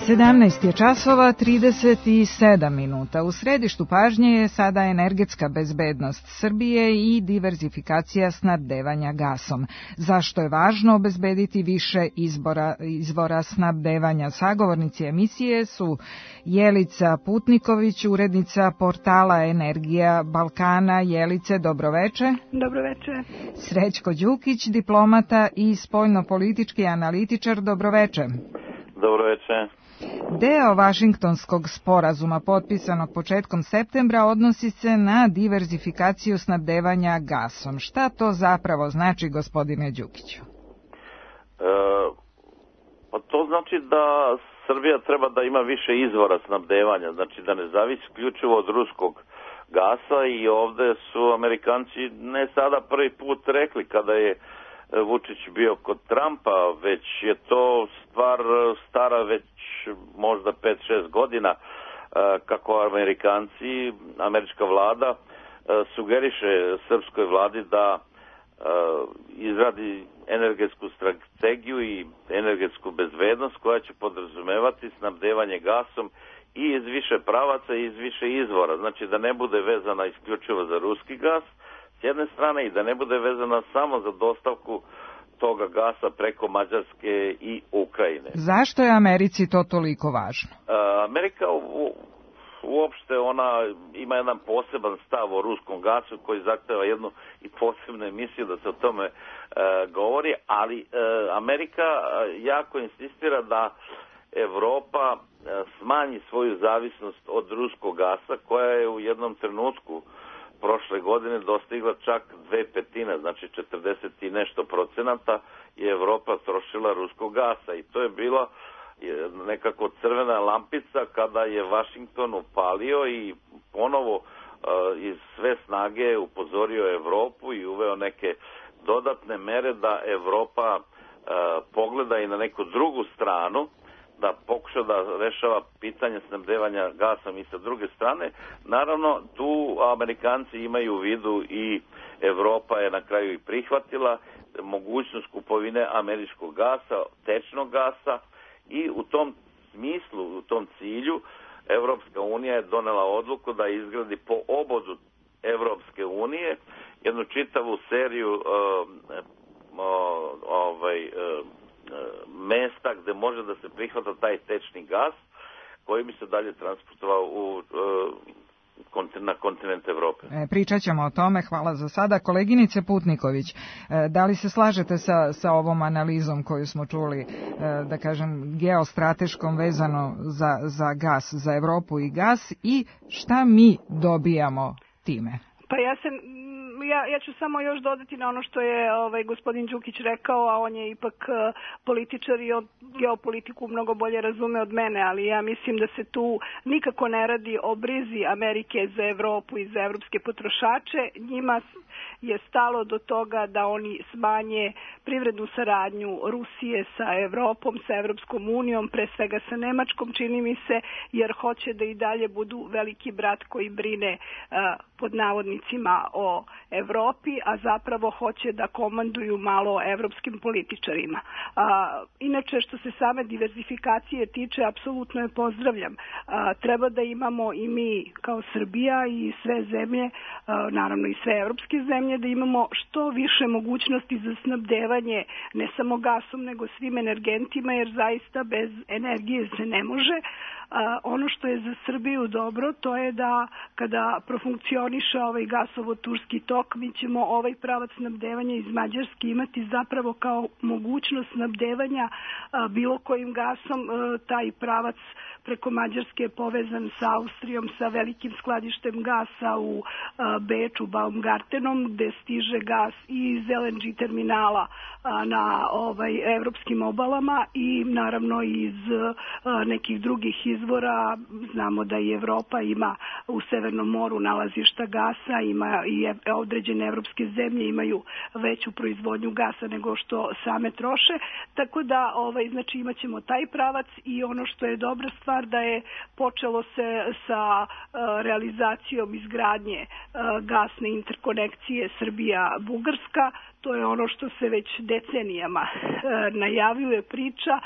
17 je časova 37 minuta. U središtu pažnje je sada energetska bezbednost Srbije i diverzifikacija snabdevanja gasom. Zašto je važno obezbediti više izvora snabdevanja? Sagovornici emisije su Jelica Putniković, urednica portala Energija Balkana. Jelice, dobroveče. Dobroveče. Srećko Đukić, diplomata i spoljnopolitički analitičar. Dobroveče. Dobroveče. Deo Vašingtonskog sporazuma potpisanog početkom septembra odnosi se na diverzifikaciju snabdevanja gasom. Šta to zapravo znači, gospodine Đukiću? Pa to znači da Srbija treba da ima više izvora snabdevanja, znači da ne zavisi isključivo od ruskog gasa i ovde su Amerikanci ne sada prvi put rekli kada je Vučić bio kod Trumpa, već je to stvar stara već možda 5-6 godina kako Amerikanci, američka vlada sugeriše srpskoj vladi da izradi energetsku strategiju i energetsku bezbednost koja će podrazumevati snabdevanje gasom i iz više pravaca i iz više izvora. Znači da ne bude vezana isključivo za ruski gas s jedne strane i da ne bude vezana samo za dostavku toga gasa preko Mađarske i Ukrajine. Zašto je Americi to toliko važno? Amerika uopšte ona ima jedan poseban stav o ruskom gasu koji zahteva jednu i posebnu emisiju da se o tome govori, ali Amerika jako insistira da Evropa smanji svoju zavisnost od ruskog gasa koja je u jednom trenutku prošle godine dostigla čak 2/5, znači 40 i nešto procenata je Evropa trošila ruskog gasa i to je bila nekako crvena lampica kada je Vašington upalio i ponovo iz sve snage upozorio Evropu i uveo neke dodatne mere da Evropa pogleda i na neku drugu stranu, da pokuša da rešava pitanje snabdevanja gasom i sa druge strane. Naravno, tu Amerikanci imaju u vidu i Evropa je na kraju i prihvatila mogućnost kupovine američkog gasa, tečnog gasa i u tom smislu, u tom cilju Evropska unija je donela odluku da izgradi po obodu Evropske unije jednu čitavu seriju mesta gde može da se prihvata taj tečni gas koji bi se dalje transportovao na kontinent Evrope. Pričat ćemo o tome, hvala za sada. Koleginice Putniković, da li se slažete sa ovom analizom koju smo čuli, da kažem, geostrateškom vezano za gas, za Evropu i gas, i šta mi dobijamo time? Pa ja ću samo još dodati na ono što je gospodin Đukić rekao, a on je ipak političar i geopolitiku mnogo bolje razume od mene, ali ja mislim da se tu nikako ne radi o brizi Amerike za Evropu i za evropske potrošače. Njima je stalo do toga da oni smanje privrednu saradnju Rusije sa Evropom, sa Evropskom unijom, pre svega sa Nemačkom, čini mi se, jer hoće da i dalje budu veliki brat koji brine pod navodnicima o Evropi, a zapravo hoće da komanduju malo evropskim političarima. Inače, što se same diverzifikacije tiče, apsolutno je pozdravljam. Treba da imamo i mi kao Srbija i sve zemlje, naravno i sve evropske zemlje, da imamo što više mogućnosti za snabdevanje ne samo gasom, nego svim energentima, jer zaista bez energije se ne može. Ono što je za Srbiju dobro, to je da kada profunkcioniše ovaj gasovod Turski tok, mi ćemo ovaj pravac snabdevanja iz Mađarske imati zapravo kao mogućnost snabdevanja bilo kojim gasom. Taj pravac preko Mađarske je povezan sa Austrijom, sa velikim skladištem gasa u Beču, Baumgartenom, gde stiže gas i iz LNG terminala na evropskim obalama i naravno iz nekih drugih izvora. Znamo da i Evropa ima u Severnom moru nalazišta gasa, ima i određene evropske zemlje imaju veću proizvodnju gasa nego što same troše, tako da znači imat ćemo taj pravac. I ono što je dobra stvar, da je počelo se sa realizacijom izgradnje gasne interkonekcije Srbija-Bugarska. To je ono što se već decenijama najavljuje, priča,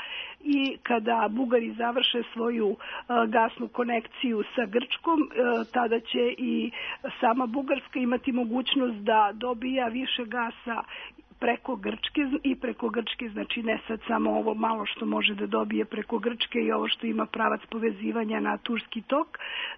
i kada Bugari završe svoju gasnu konekciju sa Grčkom, tada će i sama Bugarska imati mogućnost da dobija više gasa preko Grčke, znači ne sad samo ovo malo što može da dobije preko Grčke i ovo što ima pravac povezivanja na Turski tok,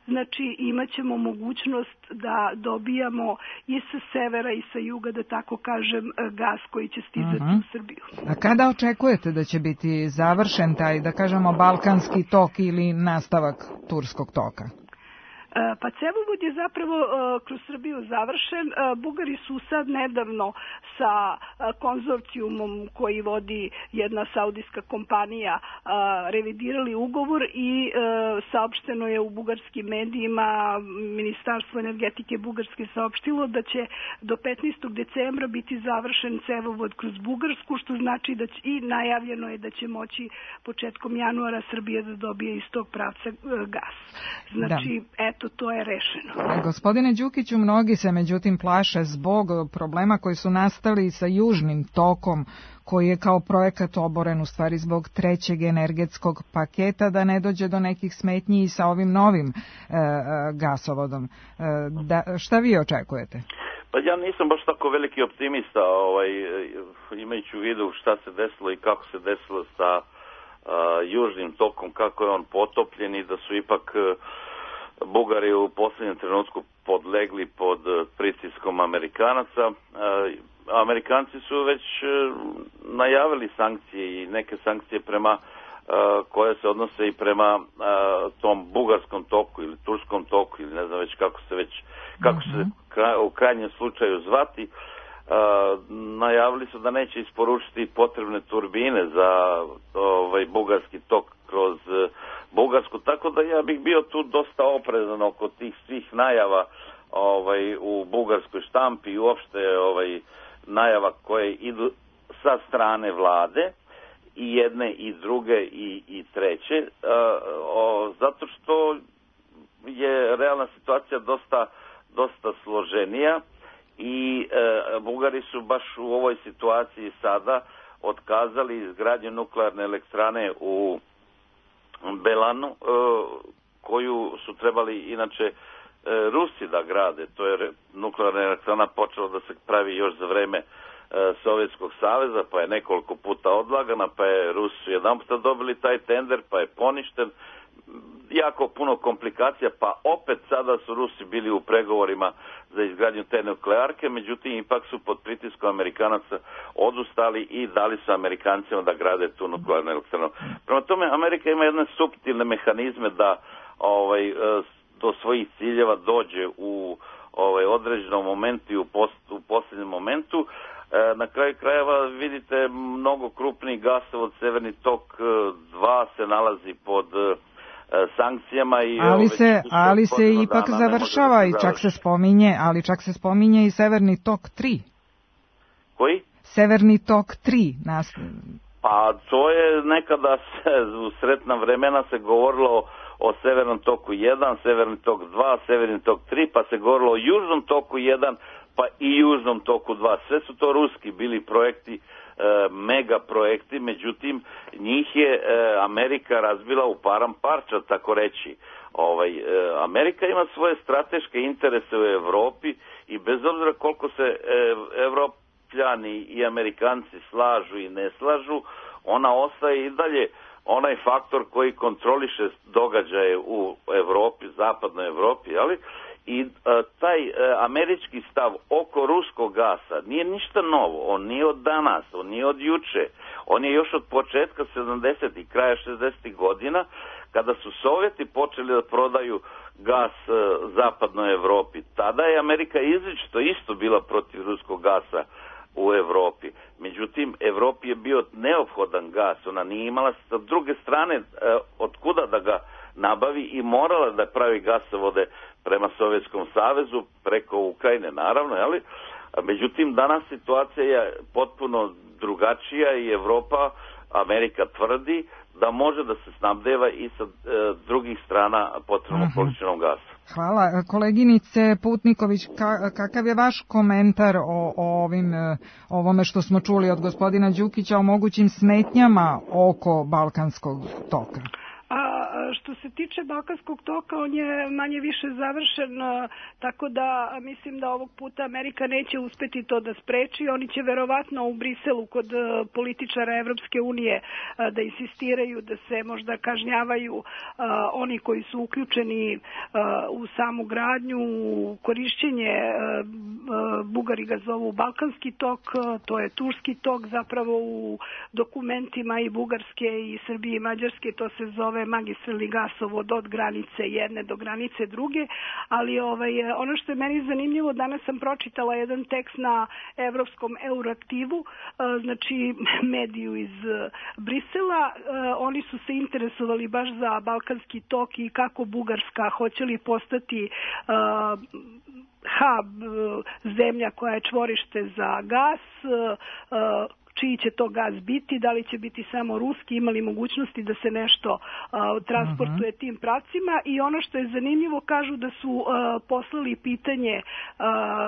znači imat ćemo mogućnost da dobijamo i sa severa i sa juga, da tako kažem, gas koji će stizati u Srbiju. A kada očekujete da će biti završen taj, da kažemo, Balkanski tok ili nastavak Turskog toka? Pa cevovod je zapravo kroz Srbiju završen. Bugari su sad nedavno sa konzorcijumom koji vodi jedna saudijska kompanija revidirali ugovor i saopšteno je u bugarskim medijima, Ministarstvo energetike Bugarske saopštilo da će do 15. decembra biti završen cevovod kroz Bugarsku, što znači da će, i najavljeno je da će moći početkom januara Srbija da dobije iz tog pravca gas. Znači, eto, to je rešeno. Gospodine Đukiću, mnogi se međutim plaše zbog problema koji su nastali sa južnim tokom, koji je kao projekat oboren u stvari zbog trećeg energetskog paketa, da ne dođe do nekih smetnji i sa ovim novim gasovodom. Šta vi očekujete? Pa ja nisam baš tako veliki optimista, imajući u vidu šta se desilo i kako se desilo sa južnim tokom, kako je on potopljen i da su ipak Bugari u posljednjem trenutku podlegli pod pritiskom Amerikanaca. Amerikanci su već najavili sankcije i neke sankcije koje se odnose i prema tom bugarskom toku ili turskom toku ili ne znam već kako se u krajnjem slučaju zvati. Najavili su da neće isporučiti potrebne turbine za bugarski tok kroz Bugarsku, tako da ja bih bio tu dosta oprezan oko tih svih najava u bugarskoj štampi i uopšte najava koje idu sa strane vlade i jedne i druge i treće, zato što je realna situacija dosta složenija i Bugari su baš u ovoj situaciji sada otkazali izgradnju nuklearne elektrane u Belanu, koju su trebali inače Rusi da grade. To je nuklearna elektrana počela da se pravi još za vreme Sovjetskog saveza, pa je nekoliko puta odlagana, pa je Rusi jedan puta dobili taj tender, pa je poništen. Jako puno komplikacija, pa opet sada su Rusi bili u pregovorima za izgradnju te nuklearke, međutim ipak su pod pritiskom Amerikanaca odustali i dali su Amerikancima da grade tu nuklearnu elektranu. Prema tome, Amerika ima jedne suptilne mehanizme da do svojih ciljeva dođe u određenom momentu i u posljednjem momentu. Na kraju krajeva vidite mnogo krupniji gasovod Severni tok 2 se nalazi pod sankcijama i ali se ipak završava i čak se spominje i Severni tok 3. Koji? Severni tok 3 Pa to je nekada u sretna vremena se govorilo o Severnom toku 1, Severni tok 2, Severni tok 3, pa se govorilo o Južnom toku 1, pa i Južnom toku 2. Sve su to ruski bili projekti, mega projekti, međutim njih je Amerika razbila u param parča, tako reći. Amerika ima svoje strateške interese u Evropi i bez obzira koliko se Evropljani i Amerikanci slažu i ne slažu, ona ostaje i dalje onaj faktor koji kontroliše događaje u Evropi, zapadnoj Evropi, ali i taj američki stav oko ruskog gasa nije ništa novo, on nije od danas, on nije od juče, on je još od početka 70. kraja 60. godina, kada su Sovjeti počeli da prodaju gas zapadnoj Evropi. Tada je Amerika izričito isto bila protiv ruskog gasa u Evropi. Međutim, Evropi je bio neophodan gas, ona nije imala sa druge strane od kuda da ga nabavi i morala da pravi gasovode prema Sovjetskom savezu, preko Ukrajine naravno, ali međutim danas situacija je potpuno drugačija i Evropa, Amerika tvrdi da može da se snabdeva i sa drugih strana potrebnom količinom gasa. Hvala. Koleginice Putniković, kakav je vaš komentar o ovome što smo čuli od gospodina Đukića o mogućim smetnjama oko Balkanskog toka? Što se tiče Balkanskog toka, on je manje više završen, tako da mislim da ovog puta Amerika neće uspeti to da spreči. Oni će verovatno u Briselu kod političara Evropske unije da insistiraju da se možda kažnjavaju oni koji su uključeni u samu gradnju, u korišćenje, Bugari ga zovu Balkanski tok, to je Turski tok, zapravo u dokumentima i Bugarske i Srbije i Mađarske to se zove magistralni gasovod od granice jedne do granice druge, ali ono što je meni zanimljivo, danas sam pročitala jedan tekst na Evropskom Euroaktivu, znači mediju iz Brisela, oni su se interesovali baš za Balkanski tok i kako Bugarska hoće li postati hub, zemlja koja je čvorište za gas, čiji će to gas biti, da li će biti samo ruski, imali mogućnosti da se nešto transportuje tim pravcima i ono što je zanimljivo, kažu da su poslali pitanje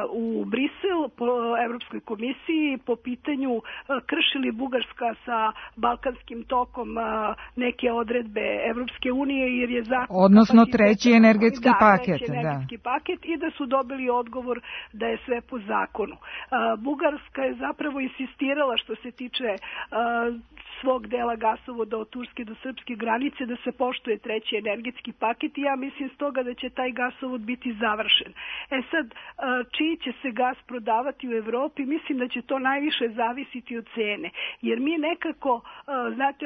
u Brisel po Evropskoj komisiji po pitanju krši li Bugarska sa Balkanskim tokom neke odredbe Evropske unije jer je zakon... Odnosno treći energetski paket. Treći energetski paket i da su dobili odgovor da je sve po zakonu. Bugarska je zapravo insistirala što se tiče svog dela gasovoda od Turske do srpske granice da se poštuje treći energetski paket i ja mislim stoga da će taj gasovod biti završen. Sad, čiji će se gas prodavati u Evropi, mislim da će to najviše zavisiti od cene. Jer mi nekako, znate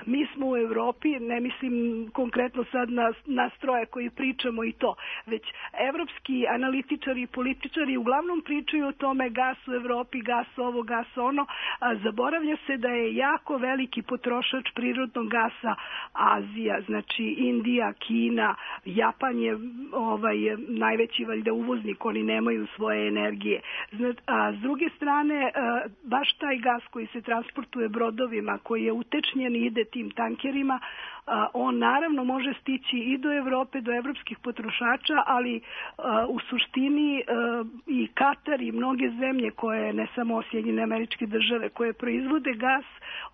mi smo u Evropi, ne mislim konkretno sad na stroje koji pričamo i to, već evropski analitičari i političari uglavnom pričaju o tome gas u Evropi, gas ovo, gas ono, zaboravlja se da je jako veliki potrošač prirodnog gasa Azija, znači Indija, Kina, Japan je najveći valjda uvoznik, oni nemaju svoje energije. A s druge strane, baš taj gas koji se transportuje brodovima, koji je utečnjen i ide tim tankerima, On naravno može stići i do Evrope, do evropskih potrošača, ali u suštini i Katar i mnoge zemlje koje, ne samo Sjedinjene Američke Države, koje proizvode gas,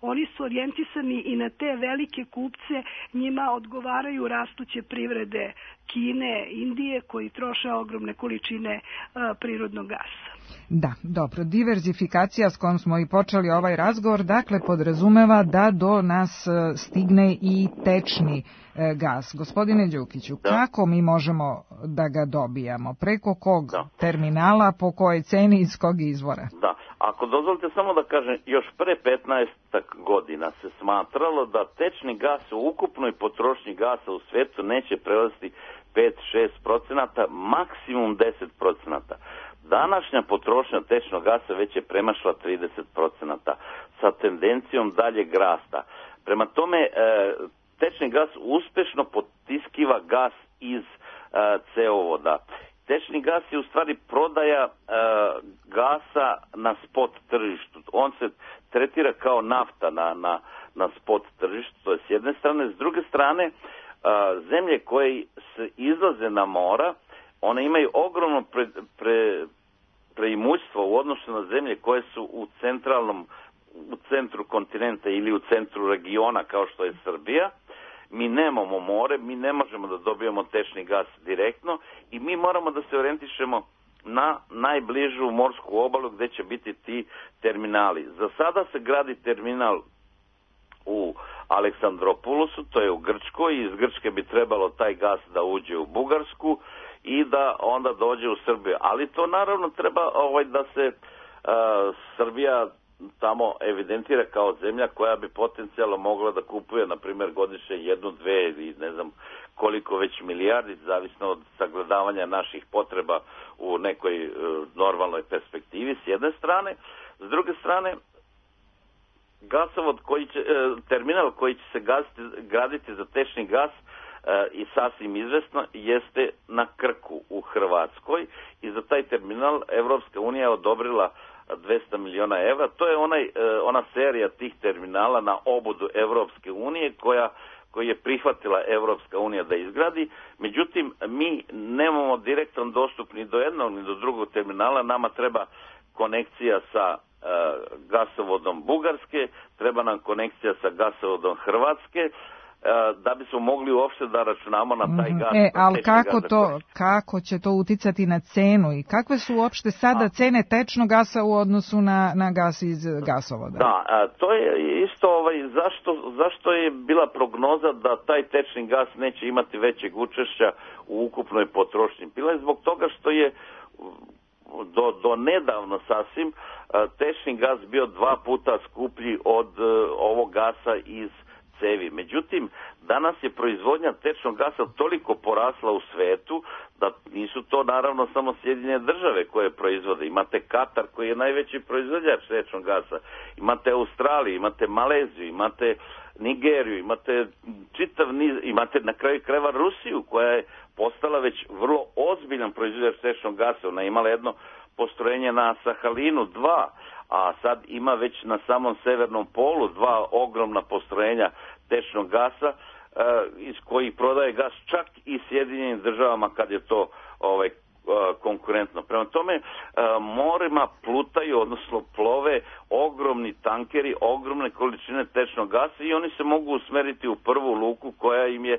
oni su orijentisani i na te velike kupce, njima odgovaraju rastuće privrede Kine, Indije, koji troše ogromne količine prirodnog gasa. Da, dobro. Diverzifikacija s kojom smo i počeli ovaj razgovor, dakle, podrazumeva da do nas stigne i tečni gas. Gospodine Đukiću, kako mi možemo da ga dobijamo? Preko kog terminala, po kojoj ceni, iz kog izvora? Da, ako dozvolite samo da kažem, još pre 15 godina se smatralo da tečni gas u ukupnoj potrošnji gasa u svetu neće prelaziti 5-6%, maksimum 10%. Današnja potrošnja tečnog gasa već je premašla 30% sa tendencijom daljeg rasta. Prema tome, tečni gas uspešno potiskiva gas iz cevovoda. Tečni gas je u stvari prodaja gasa na spot tržištu. On se tretira kao nafta na spot tržištu, to je s jedne strane. S druge strane, zemlje koje se izlaze na mora, one imaju ogromno preimućstvo u odnosu na zemlje koje su u centru kontinenta ili u centru regiona kao što je Srbija. Mi nemamo more, mi ne možemo da dobijemo tečni gas direktno i mi moramo da se orijentišemo na najbližu morsku obalu gde će biti ti terminali. Za sada se gradi terminal u Aleksandropolusu, to je u Grčkoj, i iz Grčke bi trebalo taj gas da uđe u Bugarsku i da onda dođe u Srbiju. Ali to naravno treba da se Srbija tamo evidentira kao zemlja koja bi potencijalno mogla da kupuje, na primjer, godišnje 1, 2 ili ne znam koliko već milijardi, zavisno od sagledavanja naših potreba u nekoj normalnoj perspektivi s jedne strane. S druge strane, gasovod terminal koji će se graditi za tečni gas i sasvim izvesno jeste na Krku u Hrvatskoj i za taj terminal Evropska unija je odobrila 200 miliona evra. To je ona serija tih terminala na obodu Evropske unije koju je prihvatila Evropska unija da izgradi. Međutim, mi nemamo direktan dostup ni do jednog ni do drugog terminala. Nama treba konekcija sa gasovodom Bugarske, treba nam konekcija sa gasovodom Hrvatske, da bismo mogli uopšte da računamo na taj gas. Ali kako će to uticati na cenu i kakve su uopšte sada cene tečnog gasa u odnosu na gas iz gasovoda? Da, to je isto zašto je bila prognoza da taj tečni gas neće imati većeg učešća u ukupnoj potrošnji. Bila je zbog toga što je do nedavno sasvim tečni gas bio 2 puta skuplji od ovog gasa iz cevi. Međutim, danas je proizvodnja tečnog gasa toliko porasla u svetu da nisu to naravno samo Sjedinjene Države koje proizvode. Imate Katar koji je najveći proizvođač tečnog gasa. Imate Australiju, imate Maleziju, imate Nigeriju, imate čitav niz, imate na kraju krajeva Rusiju koja je postala već vrlo ozbiljan proizvođač tečnog gasa. Ona je imala jedno postrojenje na Sahalinu 2, a sad ima već na samom severnom polu 2 ogromna postrojenja tečnog gasa iz kojih prodaje gas čak i Sjedinjenim Državama kad je to konkurentno. Prema tome, morima plutaju, odnosno plove ogromni tankeri, ogromne količine tečnog gasa i oni se mogu usmeriti u prvu luku koja im je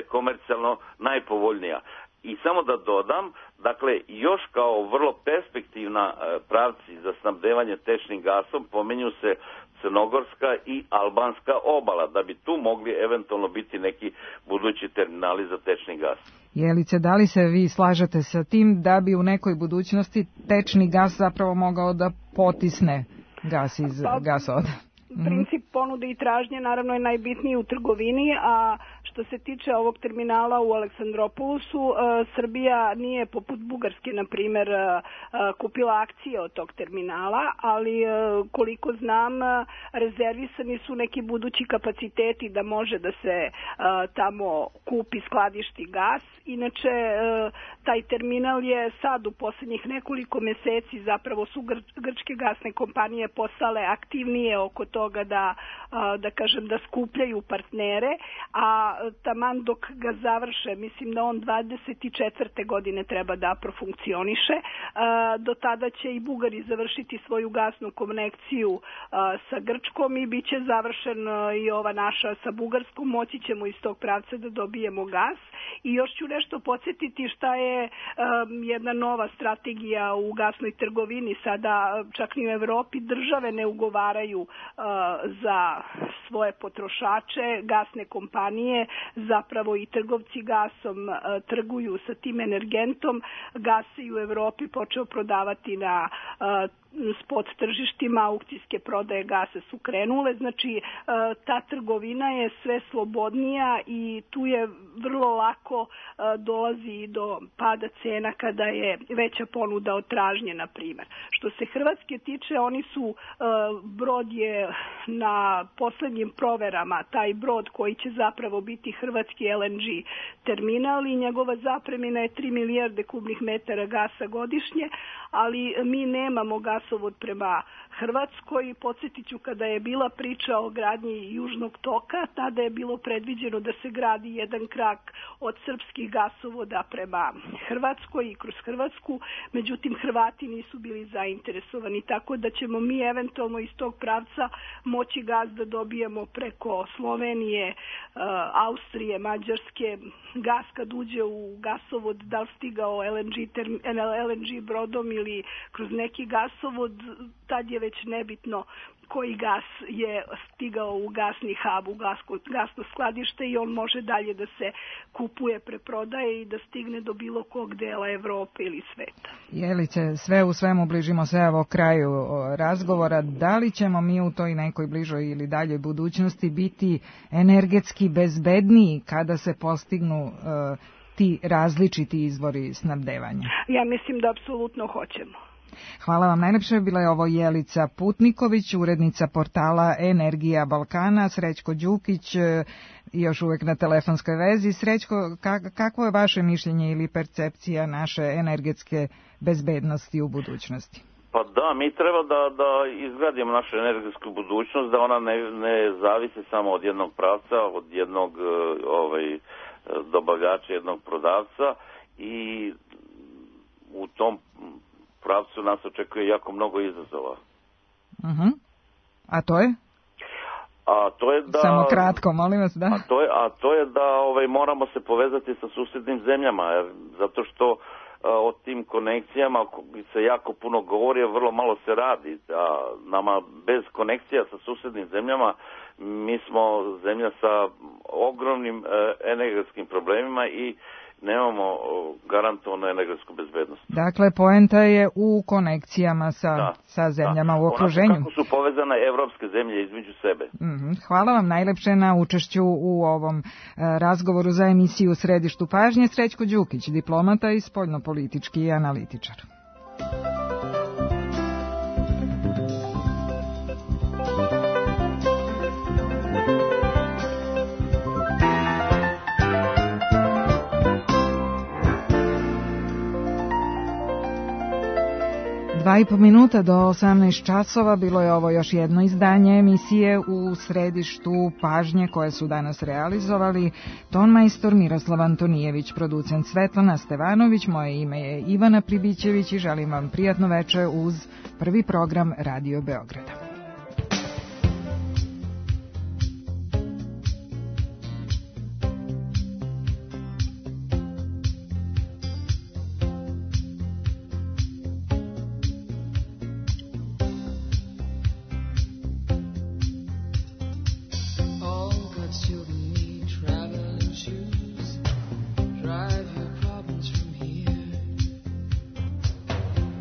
komercijalno najpovoljnija. I samo da dodam, dakle, još kao vrlo perspektivna pravci za snabdevanje tečnim gasom pomenju se Crnogorska i Albanska obala, da bi tu mogli eventualno biti neki budući terminali za tečni gas. Jelice, da li se vi slažete sa tim da bi u nekoj budućnosti tečni gas zapravo mogao da potisne gas iz gasovoda? Princip ponude i tražnje naravno je najbitniji u trgovini, a što se tiče ovog terminala u Aleksandropolusu, Srbija nije poput Bugarske, na primer, kupila akcije od tog terminala, ali koliko znam, rezervisani su neki budući kapaciteti da može da se tamo kupi, skladišti gas. Inače, Taj terminal je sad u posljednjih nekoliko meseci, zapravo su grčke gasne kompanije postale aktivnije oko toga da skupljaju partnere, a taman dok ga završe, mislim da on 24. godine treba da profunkcioniše. Do tada će i Bugari završiti svoju gasnu konekciju sa Grčkom i bit će završen i ova naša sa Bugarskom. Moći ćemo iz tog pravca da dobijemo gas. I još ću nešto podsjetiti šta je jedna nova strategija u gasnoj trgovini. Sada čak ni u Evropi države ne ugovaraju za svoje potrošače, gasne kompanije, zapravo i trgovci gasom trguju sa tim energentom. Gas se i u Evropi počeo prodavati na spot tržištima, aukcijske prodaje gasa su krenule, znači ta trgovina je sve slobodnija i tu je vrlo lako dolazi do pada cena kada je veća ponuda od tražnje, na primjer. Što se Hrvatske tiče, oni su, brod je na poslednjim proverama, taj brod koji će zapravo biti hrvatski LNG terminal i njegova zapremina je 3 milijarde kubnih metara gasa godišnje, ali mi nemamo gasovod prema Hrvatskoj. Podsjetit ću, kada je bila priča o gradnji Južnog toka, tada je bilo predviđeno da se gradi jedan krak od srpskih gasovoda prema Hrvatskoj i kroz Hrvatsku, međutim Hrvati nisu bili zainteresovani, tako da ćemo mi eventualno iz tog pravca moći gas da dobijemo preko Slovenije, Austrije, Mađarske. Gas kad uđe u gasovod, da li stigao LNG brodom ili kroz neki gasovod, tad je već nebitno koji gas je stigao u gasni hub, u gasno skladište i on može dalje da se kupuje, preprodaje i da stigne do bilo kog dela Evrope ili sveta. Jelice, sve u svemu bližimo se evo kraju razgovora. Da li ćemo mi u toj nekoj bližoj ili daljoj budućnosti biti energetski bezbedniji kada se postignu ti različiti izvori snabdevanja? Ja mislim da apsolutno hoćemo. Hvala vam najlepše. Bila je ovo Jelica Putniković, urednica portala Energija Balkana, Srećko Đukić, još uvek na telefonskoj vezi. Srećko, kakvo je vaše mišljenje ili percepcija naše energetske bezbednosti u budućnosti? Pa da, mi treba da izgradimo našu energetsku budućnost, da ona ne zavisi samo od jednog pravca, od jednog dobavljača, jednog prodavca, i u tom pravcu nas očekuje jako mnogo izazova. A to je? A to je da... Samo kratko, molim vas, da. A to je da moramo se povezati sa susjednim zemljama, zato što o tim konekcijama se jako puno govori, a vrlo malo se radi. A nama bez konekcija sa susjednim zemljama, mi smo zemlja sa ogromnim energetskim problemima i nemamo garantovanu energetsku bezbednost. Dakle, poenta je u konekcijama sa zemljama u okruženju. Kako su povezane evropske zemlje između sebe. Hvala vam najlepše na učešću u ovom razgovoru za emisiju Središtu pažnje. Srećko Đukić, diplomata i spoljnopolitički analitičar. Dva i po minuta do 18 časova bilo je ovo još jedno izdanje emisije u Središtu pažnje koje su danas realizovali tonmajstor Miroslav Antonijević, producent Svetlana Stevanović, moje ime je Ivana Pribićević i želim vam prijatno veče uz prvi program Radio Beograda.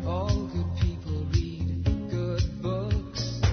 All good people read good books.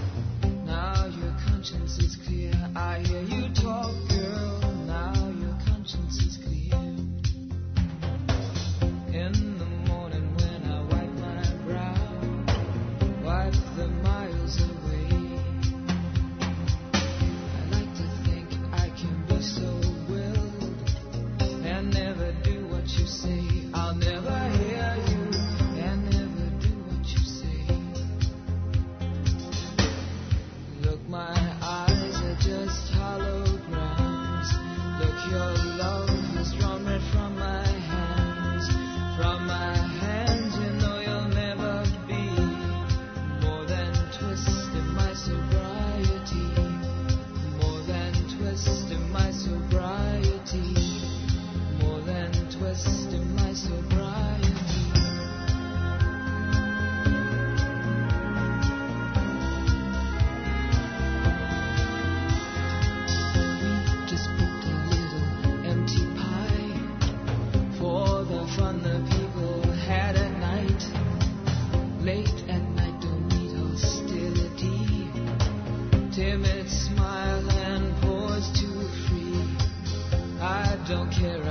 care